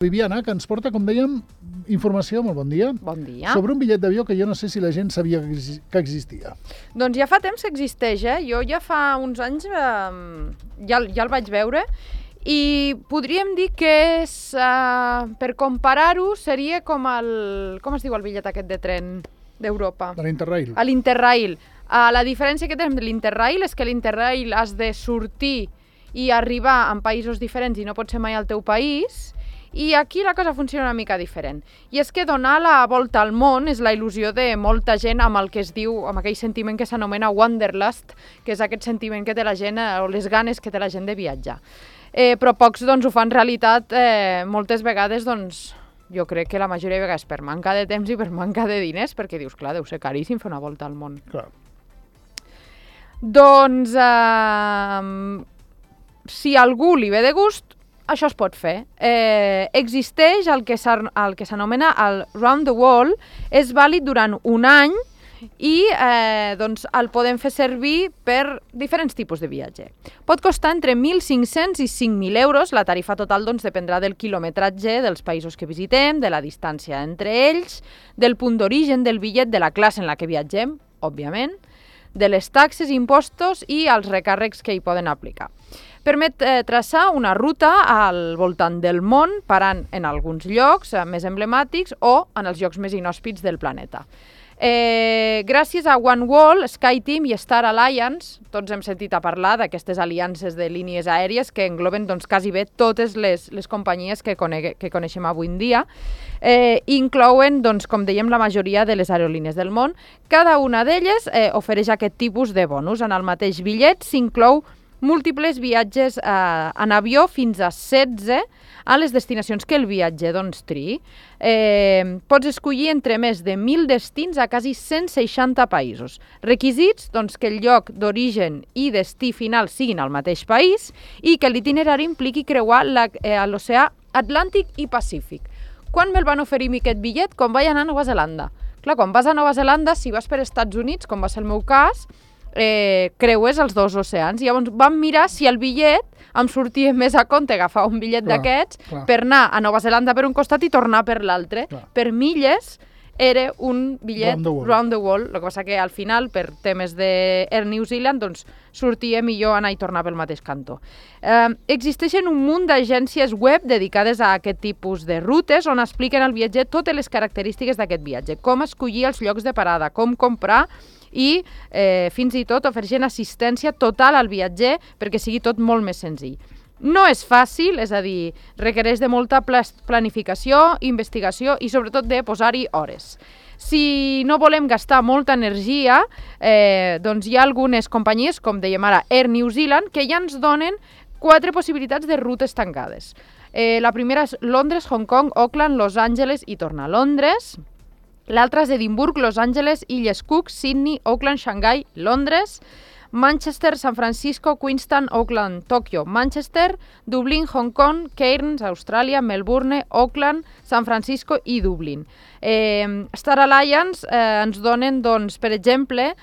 Viviana, que ens porta, com dèiem, informació, molt bon dia. Bon dia. Sobre un bitllet d'avió que jo no sé si la gent sabia que existia. Doncs ja fa temps que existeix, Jo ja fa uns anys ja el vaig veure i podríem dir que és, per comparar-ho, seria com com es diu el bitllet aquest de tren d'Europa? De l'Interrail. A l'Interrail. La diferència que tenim de l'Interrail és que l'Interrail has de sortir i arribar en països diferents i no pot ser mai al teu país. I aquí la cosa funciona una mica diferent. I és que donar la volta al món és la il·lusió de molta gent amb el que es diu, amb aquell sentiment que s'anomena wanderlust, que és aquest sentiment que té la gent, o les ganes que té la gent de viatjar. Però pocs doncs, ho fan realitat moltes vegades, doncs, jo crec que la majoria de vegades per manca de temps i per manca de diners, perquè dius, clar, deu ser caríssim fer una volta al món. Clar. Doncs, si a algú li ve de gust, això es pot fer. Existeix el que s'anomena el Round the World, és vàlid durant un any i doncs el podem fer servir per diferents tipus de viatge. Pot costar entre 1.500 i 5.000 euros, la tarifa total doncs, dependrà del quilometratge dels països que visitem, de la distància entre ells, del punt d'origen del bitllet, de la classe en la que viatgem, òbviament, de les taxes, impostos i els recàrrecs que hi poden aplicar. Permet traçar una ruta al voltant del món, parant en alguns llocs més emblemàtics o en els llocs més inhòspits del planeta. Gràcies a OneWorld, SkyTeam i Star Alliance, tots hem sentit a parlar d'aquestes aliances de línies aèries que engloben doncs, quasi bé totes les companyies que coneixem avui en dia, inclouen, doncs, com dèiem, la majoria de les aerolínies del món. Cada una d'elles ofereix aquest tipus de bonus. En el mateix bitllet s'inclou múltiples viatges en avió fins a 16 a les destinacions que el viatger doncs, triï. Pots escollir entre més de 1.000 destins a quasi 160 països. Requisits, doncs, que el lloc d'origen i destí final siguin al mateix país i que l'itinerari impliqui creuar l'oceà Atlàntic i Pacífic. Quan me'l van oferir aquest bitllet? Quan vaig anar a Nova Zelanda. Clar, quan vas a Nova Zelanda, si vas per Estats Units, com va ser el meu cas, creues els dos oceans. Llavors vam mirar si el bitllet em sortia més a compte agafar un bitllet d'aquests per anar a Nova Zelanda per un costat i tornar per l'altre. Per milles era un bitllet round the world. El que passa que al final, per temes d'Air New Zealand, doncs sortia millor anar i tornar pel mateix cantó. Existeixen un munt d'agències web dedicades a aquest tipus de rutes on expliquen al viatger totes les característiques d'aquest viatge, com escollir els llocs de parada, com comprar i fins i tot ofereixen assistència total al viatger perquè sigui tot molt més senzill. No és fàcil, és a dir, requereix de molta planificació, investigació i sobretot de posar-hi hores. Si no volem gastar molta energia, doncs hi ha algunes companyies, com dèiem ara, Air New Zealand, que ja ens donen 4 possibilitats de rutes tancades. La primera és Londres, Hong Kong, Auckland, Los Angeles i tornar a Londres. L'altra és Edimburg, Los Angeles, Illes Cook, Sydney, Auckland, Xangai, Londres, Manchester, San Francisco, Queenstown, Auckland, Tòquio, Manchester, Dublín, Hong Kong, Cairns, Austràlia, Melbourne, Auckland, San Francisco i Dublín. Star Alliance ens donen, doncs, per exemple,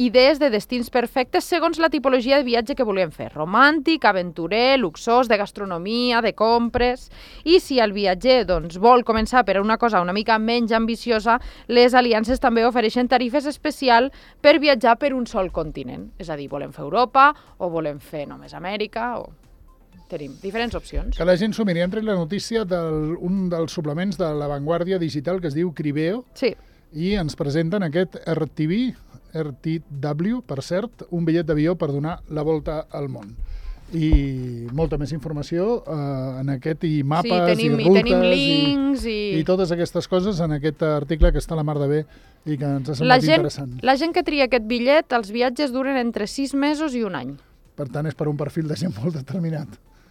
idees de destins perfectes segons la tipologia de viatge que volem fer. Romàntic, aventurer, luxós, de gastronomia, de compres. I si el viatger doncs, vol començar per una cosa una mica menys ambiciosa, les aliances també ofereixen tarifes especials per viatjar per un sol continent. És a dir, volem fer Europa o volem fer només Amèrica o... Tenim diferents opcions. Que la gent s'ho miri. Hem tret la notícia d'un dels suplements de La Vanguardia Digital que es diu Cribeo. Sí. I ens presenten aquest RTW, per cert, un bitllet d'avió per donar la volta al món. I molta més informació en aquest, i mapes, i rutes, tenim links, i totes aquestes coses en aquest article que està a la mar de bé i que ens ha semblat interessant. La gent que tria aquest bitllet, els viatges duren entre 6 mesos i un any. Per tant, és per un perfil de gent molt determinat.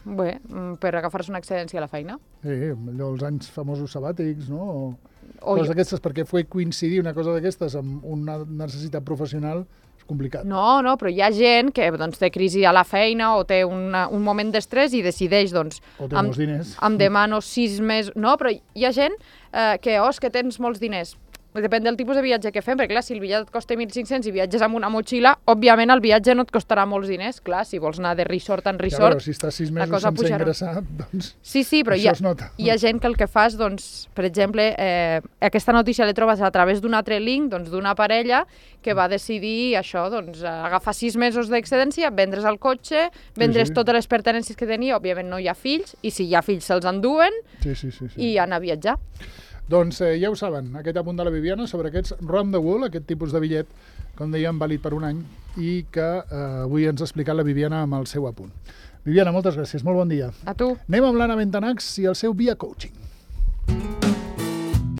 Bé, per agafar-se una excedència a la feina. Sí, allò els anys famosos sabàtics, no? Coses d'aquestes, perquè coincidir una cosa d'aquestes amb una necessitat professional és complicat. No, però hi ha gent que doncs, té crisi a la feina o té un moment d'estrès i decideix, doncs... O té molts diners. Em demano 6 mesos... No, però hi ha gent que, és que tens molts diners. depèn del tipus de viatge que fem, perquè clar, si el bitllet et costa 1.500 i viatges amb una motxilla, òbviament el viatge no et costarà molts diners, clar, si vols anar de resort en resort, però si estàs 6 mesos sense ingressar, doncs sí, però això es nota. Hi ha gent que el que fa és, doncs, per exemple, aquesta notícia l'he trobat a través d'un altre link, doncs, d'una parella que va decidir això, doncs, agafar 6 mesos d'excedència, vendre's el cotxe, vendre's totes les pertinences que tenia, òbviament no hi ha fills, i si hi ha fills se'ls enduen i anar a viatjar. Doncs ja ho saben, aquest apunt de la Viviana sobre aquests Round the World, aquest tipus de bitllet, com dèiem, vàlid per un any, i que avui ens ha explicat la Viviana amb el seu apunt. Viviana, moltes gràcies, molt bon dia. A tu. Anem amb l'Anna Bentanax i el seu Via Coaching.